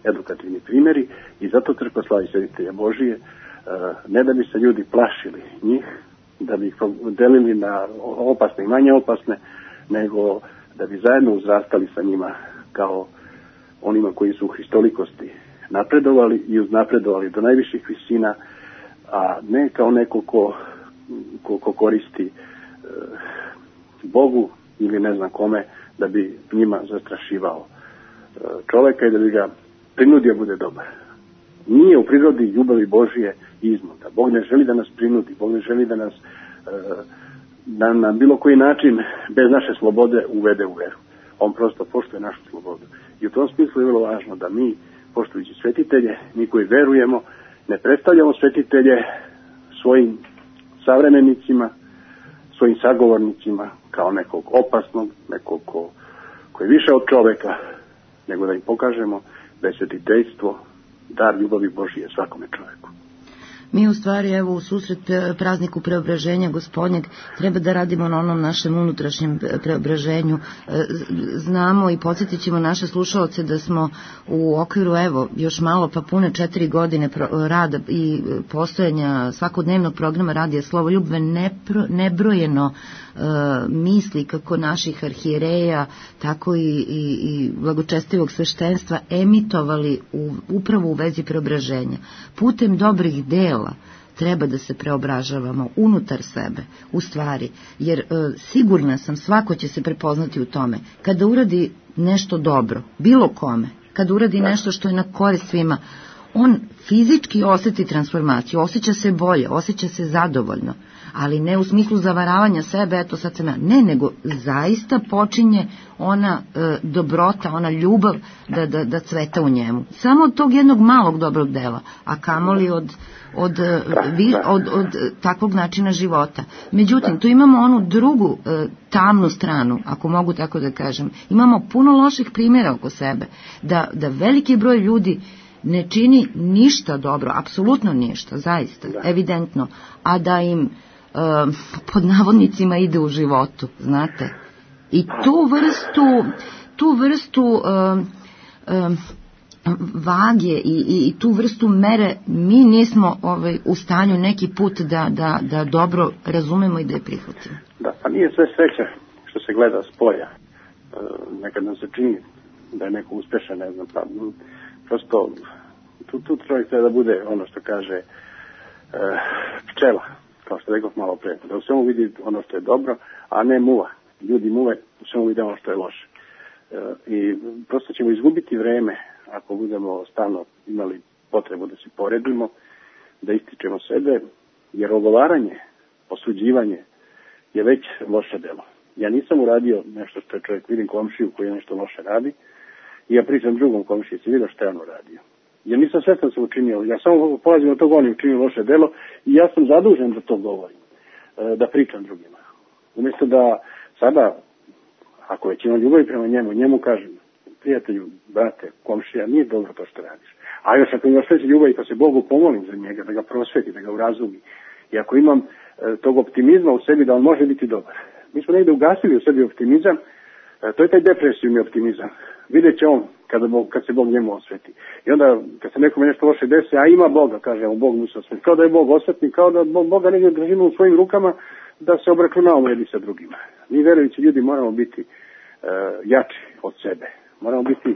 edukativni primjeri i zato crkva slavi svetitelja Božije, e, ne da bi se ljudi plašili njih, da bi ih delili na opasne i manje opasne, nego da bi zajedno uzrastali sa njima kao onima koji su u hristolikosti napredovali i uznapredovali do najviših visina, a ne kao neko ko, ko, ko koristi e, Bogu ili ne znam kome da bi njima zastrašivao e, čoveka i da bi ga prinudio bude dobar. Nije u prirodi ljubavi Božije iznuda. Bog ne želi da nas prinudi, Bog ne želi da nas e, da na bilo koji način bez naše slobode uvede u veru. On prosto poštuje našu slobodu. I u tom smislu je vrlo važno da mi, poštujući svetitelje, mi koji verujemo, ne predstavljamo svetitelje svojim savremenicima, svojim sagovornicima kao nekog opasnog, nekog ko, ko je više od čoveka, nego da im pokažemo da je svetiteljstvo dar ljubavi Božije svakome čoveku. Mi u stvari, evo, u susret prazniku preobraženja Gospodnjeg treba da radimo na onom našem unutrašnjem preobraženju. Znamo i podsjetit ćemo naše slušaoce da smo u okviru, evo, još malo pa pune četiri godine rada i postojanja svakodnevnog programa Radija Slovoljubve nepro, nebrojeno e, misli kako naših arhijereja, tako i, i, i blagočestivog sveštenstva emitovali u, upravo u vezi preobraženja. Putem dobrih dela treba da se preobražavamo unutar sebe, u stvari, jer e, sigurna sam, svako će se prepoznati u tome. Kada uradi nešto dobro, bilo kome, kada uradi nešto što je na korist svima, on fizički osjeti transformaciju, osjeća se bolje, osjeća se zadovoljno, ali ne u smislu zavaravanja sebe, eto sad sam ja, ne, nego zaista počinje ona e, dobrota, ona ljubav da, da, da cveta u njemu. Samo od tog jednog malog dobrog dela, a kamoli od, od, od, od, od takvog načina života. Međutim, tu imamo onu drugu e, tamnu stranu, ako mogu tako da kažem. Imamo puno loših primjera oko sebe, da, da veliki broj ljudi ne čini ništa dobro, apsolutno ništa, zaista, da. Evidentno, a da im e, pod navodnicima ide u životu, znate. I tu vrstu, tu vrstu e, e, vage i, i, i tu vrstu mere mi nismo ovaj, u stanju neki put da, da, da dobro razumemo i da je prihvatimo. Da, pa nije sve sreća što se gleda s polja. E, nekad nam se čini da je neko uspešan, ne znam, pa prosto tu, tu čovjek treba da bude ono što kaže e, pčela, kao što rekao malo pre, da u svemu vidi ono što je dobro, a ne muva. Ljudi muve, u svemu vide ono što je loše. E, I prosto ćemo izgubiti vreme ako budemo stalno imali potrebu da se poredimo, da ističemo sebe, jer ogovaranje, osuđivanje je već loše delo. Ja nisam uradio nešto što je čovjek, vidim komšiju koji nešto loše radi, i ja pričam drugom komšiji, si vidio što je on uradio. Ja nisam svestan se učinio, ja samo polazim od toga on je učinio loše delo i ja sam zadužen da to govorim, da pričam drugima. Umjesto da sada, ako već imam ljubavi prema njemu, njemu kažem, prijatelju, brate, komšija, nije dobro to što radiš. A još ako imaš veće ljubavi, pa se Bogu pomolim za njega, da ga prosveti, da ga urazumi. I ako imam e, tog optimizma u sebi, da on može biti dobar. Mi smo negdje ugasili u sebi optimizam, e, to je taj depresivni optimizam. Vidjet će on kada Bog, kad se Bog njemu osveti. I onda, kad se nekome nešto loše desi, a ima Boga, kaže, on Bog mu se osveti. Kao da je Bog osvetni, kao da Boga negdje držimo u svojim rukama, da se obračunavamo jedni sa drugima. Mi verujući ljudi moramo biti e, jači od sebe. Moramo biti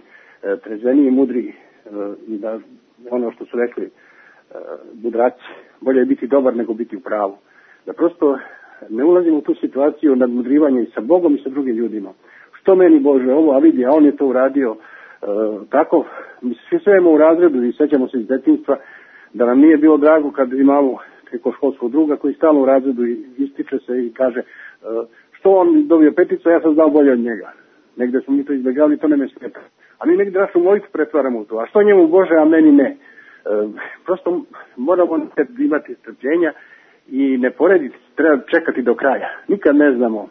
e, trezveniji i mudriji e, i da ono što su rekli e, mudraci, bolje je biti dobar nego biti u pravu. Da prosto ne ulazimo u tu situaciju nadmudrivanja i sa Bogom i sa drugim ljudima. Što meni Bože ovo, a vidi, a on je to uradio e, tako. Mi svi svemo u razredu i sećamo se iz detinjstva da nam nije bilo drago kad imamo preko školskog druga koji stalno u razredu ističe se i kaže e, što on dobio peticu, ja sam znao bolje od njega. Negde smo mi to izbjegavali, to ne me smeta. A mi negde našu molitvu pretvaramo u to. A što njemu Bože, a meni ne? E, prosto moramo imati strpljenja i ne porediti, treba čekati do kraja. Nikad ne znamo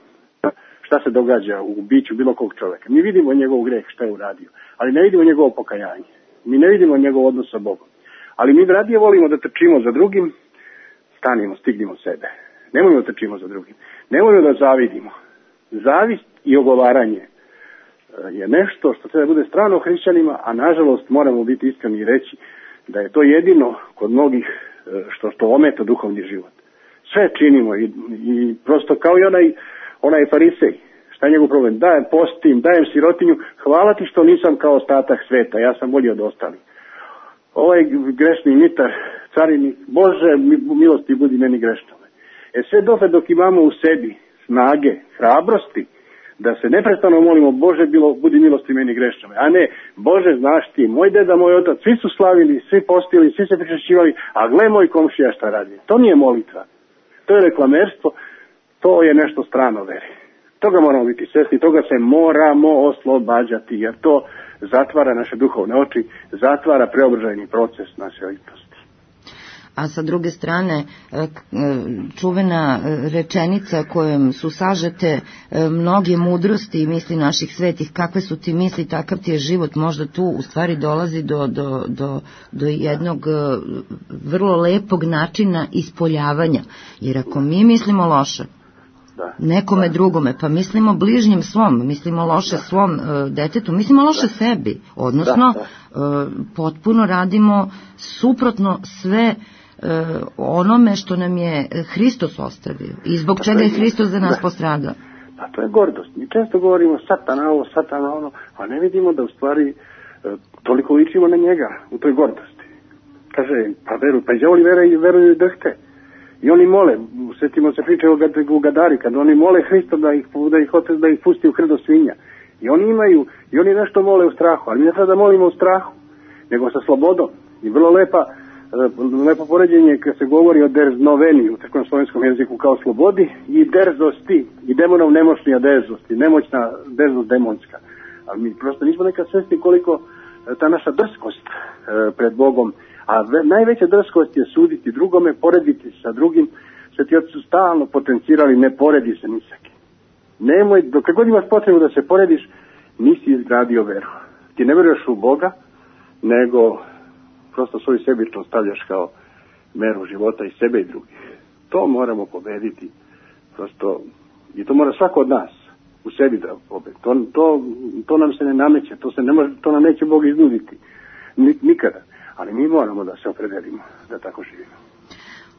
šta se događa u biću bilo kog čovjeka. Mi vidimo njegov greh, šta je uradio, ali ne vidimo njegovo pokajanje. Mi ne vidimo njegov odnos sa Bogom. Ali mi radije volimo da trčimo za drugim, stanimo, stignimo sebe. Nemojmo da trčimo za drugim. Nemojmo da zavidimo. Zavist i ogovaranje je nešto što treba da bude strano hrišćanima, a nažalost moramo biti iskreni i reći da je to jedino kod mnogih što, što ometa duhovni život. Sve činimo i, i prosto kao i onaj, onaj farisej. Šta je njegov problem? Dajem postim, dajem sirotinju, hvala ti što nisam kao ostatak sveta, ja sam bolji od ostalih. Ovaj grešni mitar, carinik, Bože, milosti budi meni grešnome. E sve dotle dok imamo u sebi snage, hrabrosti, da se neprestano molimo, Bože, bilo, budi milosti meni grešnome, a ne, Bože, znaš ti, moj deda, moj otac, svi su slavili, svi postili, svi se pričešćivali, a gle moj komšija šta radi. To nije molitva, to je reklamerstvo, to je nešto strano veri. Toga moramo biti svjesni, toga se moramo oslobađati, jer to zatvara naše duhovne oči, zatvara preobražajni proces naše ličnosti. a sa druge strane čuvena rečenica kojom su sažete mnoge mudrosti i misli naših svetih, kakve su ti misli, takav ti je život, možda tu u stvari dolazi do, do, do, do jednog vrlo lepog načina ispoljavanja, jer ako mi mislimo loše nekome drugome, pa mislimo bližnjem svom, mislimo loše da. svom uh, detetu, mislimo loše da. sebi, odnosno da, da. Uh, potpuno radimo suprotno sve uh, onome što nam je Hristos ostavio i zbog pa čega je Hristos za nas da. postradao. Pa to je gordost. Mi često govorimo satana ovo, satana ono, a ne vidimo da u stvari uh, toliko ličimo na njega u toj gordosti. Kaže, pa veruj, pa i đavoli veruju i drhte. I oni mole, sjetimo se priče o Gadari, kad oni mole Hrista da ih, da ih, da ih pusti u krdo svinja. I oni imaju, i oni nešto mole u strahu, ali mi ne treba da molimo u strahu, nego sa slobodom. I vrlo lepa, lepo poređenje kad se govori o derznoveni u crkvenom slovenskom jeziku kao slobodi i derzosti, i demonov nemoćnija derzost, i nemoćna derzost demonska. Ali mi prosto nismo nekad svesni koliko ta naša drskost pred Bogom, a najveća drskost je suditi drugome, porediti sa drugim. Sveti oci su stalno potencirali, ne poredi se ni sa kim. Nemoj, dok god imaš potrebu da se porediš, nisi izgradio veru. Ti ne veruješ u Boga, nego prosto svoju sebičnost stavljaš kao meru života i sebe i drugih. To moramo pobediti. Prosto, i to mora svako od nas u sebi da pobedi. To, to, to nam se ne nameće, to, se ne može, to nam neće Bog iznuditi. Nikada. Ali mi moramo da se opredelimo da tako živimo.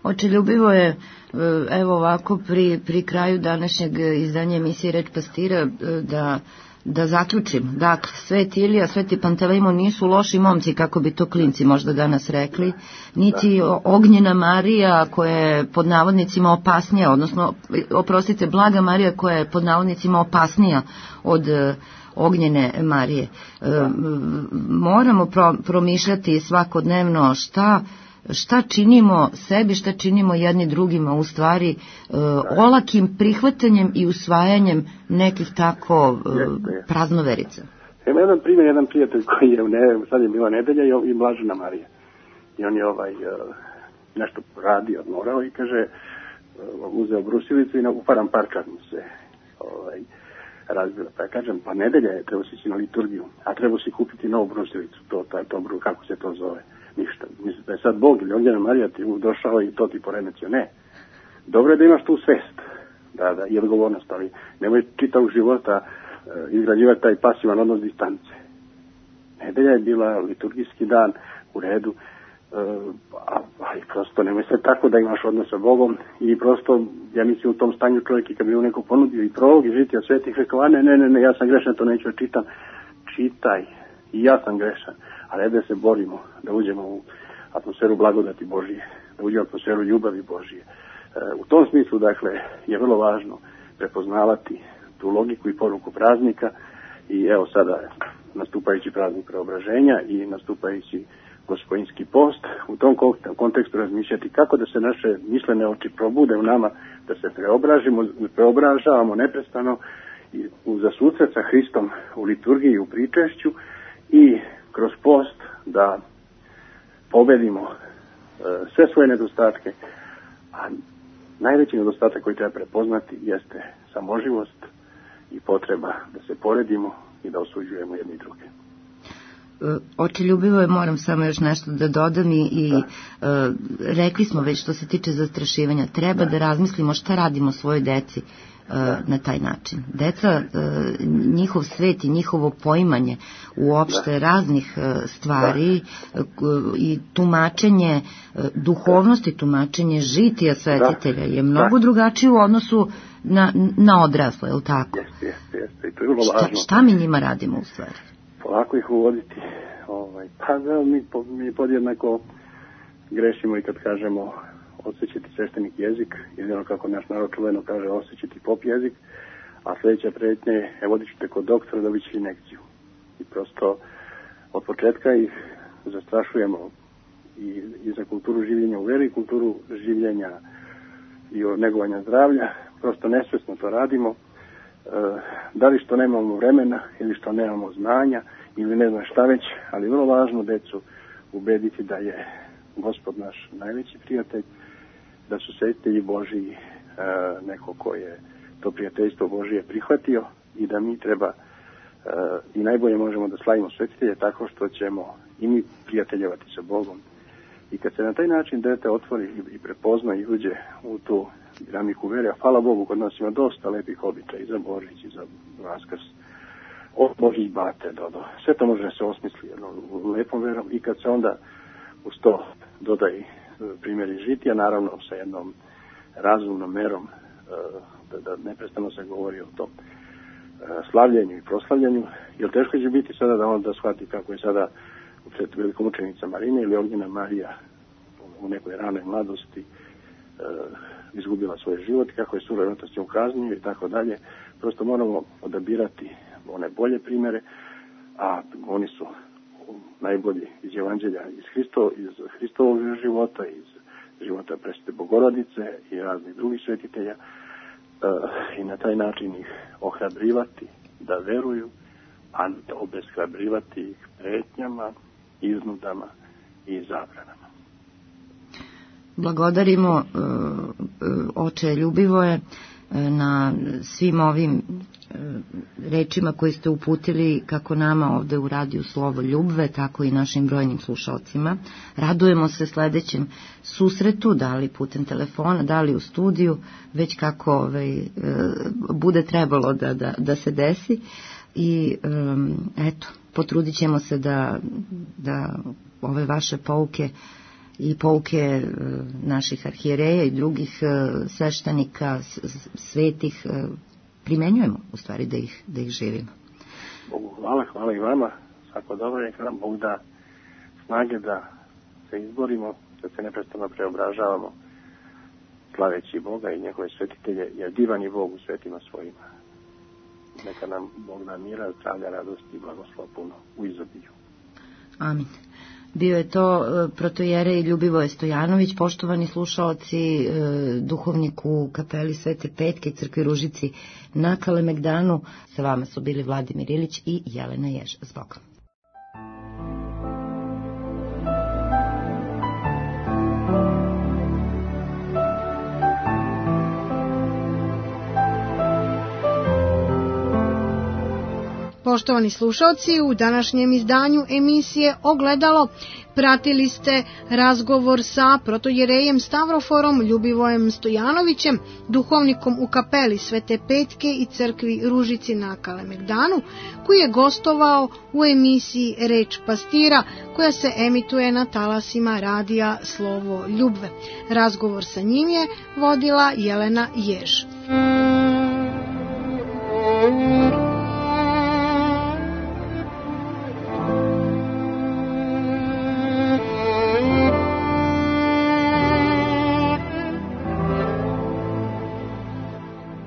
Oče, ljubivo je, evo ovako, pri, pri kraju današnjeg izdanja emisije Reč pastira, da, da zaključim. Dakle, Sveti Ilija, Sveti Pantelejmon nisu loši momci, kako bi to klinci možda danas rekli, niti Ognjena Marija koja je pod navodnicima opasnija, odnosno, oprostite, Blaga Marija koja je pod navodnicima opasnija od Ognjene Marije. E, moramo pro, promišljati svakodnevno šta, šta činimo sebi, šta činimo jedni drugima, u stvari e, olakim prihvatanjem i usvajanjem nekih tako e, praznoverica. Ima jedan primjer, jedan prijatelj koji je, ne, sad je bila nedelja i, i Blažena Marija. I on je ovaj, nešto radio, odmorao i kaže, uzeo brusilicu i uparam parčak mu se ovaj, razbila. Pa ja kažem, pa nedelja je, treba si ići na liturgiju, a treba si kupiti novu brusilicu, to, to, to, kako se to zove, ništa. Mislim da je sad Bog ili Ognjena Marija ti došao i to ti poremetio, ne. Dobro je da imaš tu svest, da, da, i odgovornost, ali nemoj čitavog života uh, izgrađivati taj pasivan odnos distance. Nedelja je bila liturgijski dan, u redu, uh, a, a i prosto nemoj se tako da imaš odnos sa Bogom i prosto, ja mislim u tom stanju čovjek i kad bi mu neko ponudio i prolog i žitija svetih, rekao, ne, ne, ne, ne, ja sam grešan, to neću čitam. Čitaj, i ja sam grešan, ali da se borimo, da uđemo u atmosferu blagodati Božije, da uđemo u atmosferu ljubavi Božije. Uh, u tom smislu, dakle, je vrlo važno prepoznavati tu logiku i poruku praznika i evo sada nastupajući praznik preobraženja i nastupajući gospodinski post, u tom kontekstu razmišljati kako da se naše mislene oči probude u nama, da se preobražimo, preobražavamo neprestano i za susret sa Hristom u liturgiji i u pričešću i kroz post da pobedimo e, sve svoje nedostatke, a najveći nedostatak koji treba prepoznati jeste samoživost i potreba da se poredimo i da osuđujemo jedni druge. Oče, ljubivo je, moram samo još nešto da dodam i, i uh, rekli smo već što se tiče zastrašivanja, treba da, da razmislimo šta radimo svojoj deci uh, na taj način. Deca, uh, njihov svet i njihovo poimanje uopšte da. raznih uh, stvari da. uh, i tumačenje uh, duhovnosti, tumačenje žitija svetitelja je mnogo da. drugačije u odnosu na, na odrasle, je li tako? Jeste, jeste, jeste. I to je vrlo važno. Šta, šta mi njima radimo u stvari? Polako ih uvoditi. Ovaj, pa da, mi, mi podjednako grešimo i kad kažemo osjećati sveštenik jezik, jedino kako naš narod čuveno kaže osjećati pop jezik, a sljedeća pretnja je, evo vodit ćete kod doktora da biće injekciju. I prosto od početka ih zastrašujemo i, i za kulturu življenja u veri, i kulturu življenja i negovanja zdravlja, prosto nesvesno to radimo. Da li što nemamo vremena ili što nemamo znanja ili ne znam šta već, ali vrlo važno decu ubediti da je Gospod naš najveći prijatelj, da su svetitelji Božiji neko ko je to prijateljstvo Božije prihvatio i da mi treba i najbolje možemo da slavimo svetitelje tako što ćemo i mi prijateljevati sa Bogom. I kad se na taj način dete otvori i prepozna i uđe u tu dinamiku vere, a hvala Bogu, kod nas ima dosta lepih običaja i za Božić i za Vaskrs, od Božić bate do, do. Sve to može da se osmisli jednom lepom verom i kad se onda uz to dodaje primjeri žitija, naravno sa jednom razumnom merom, da, da neprestano se govori o tom slavljenju i proslavljanju, jer teško će biti sada da on da shvati kako je sada pred velikomučenica Marina ili Ognjena Marija u nekoj ranoj mladosti izgubila svoj život, kako je surovinatosti ukaznio i tako dalje. Prosto moramo odabirati one bolje primjere, a oni su najbolji iz Evanđelja, iz, Hristo, iz Hristovog života, iz života Presvete Bogorodice i raznih drugih svetitelja, i na taj način ih ohrabrivati da veruju, a ne obeshrabrivati ih pretnjama, iznudama i zabranama. Blagodarimo oče Ljubivoje na svim ovim rečima koje ste uputili kako nama ovde u radiju Slovo Ljubve, tako i našim brojnim slušalcima. Radujemo se sledećem susretu, da li putem telefona, da li u studiju, već kako ovaj, bude trebalo da, da, da se desi. I um, eto, potrudit ćemo se da, da ove vaše pouke i pouke naših arhijereja i drugih sveštenika, svetih, primenjujemo, u stvari, da ih, da ih živimo. Bogu hvala, hvala i vama. Svako dobro je nam Bog da snage da se izborimo, da se neprestano preobražavamo, slaveći Boga i njegove svetitelje, jer divan je Bog u svetima svojima. Neka nam Bog da mira, zdravlja, radosti i blagoslova puno u izobilju. Amin. Bio je to protojerej Ljubivoje Stojanović, poštovani slušaoci, duhovnik u kapeli Svete Petke i crkvi Ružici na Kalemegdanu. Sa vama su bili Vladimir Ilić i Jelena Jež. S Bogom. Poštovani slušalci, u današnjem izdanju emisije Ogledalo pratili ste razgovor sa protojerejem Stavroforom Ljubivojem Stojanovićem, duhovnikom u kapeli Svete Petke i crkvi Ružici na Kalemegdanu, koji je gostovao u emisiji Reč pastira, koja se emituje na talasima radija Slovo Ljubve. Razgovor sa njim je vodila Jelena Jež.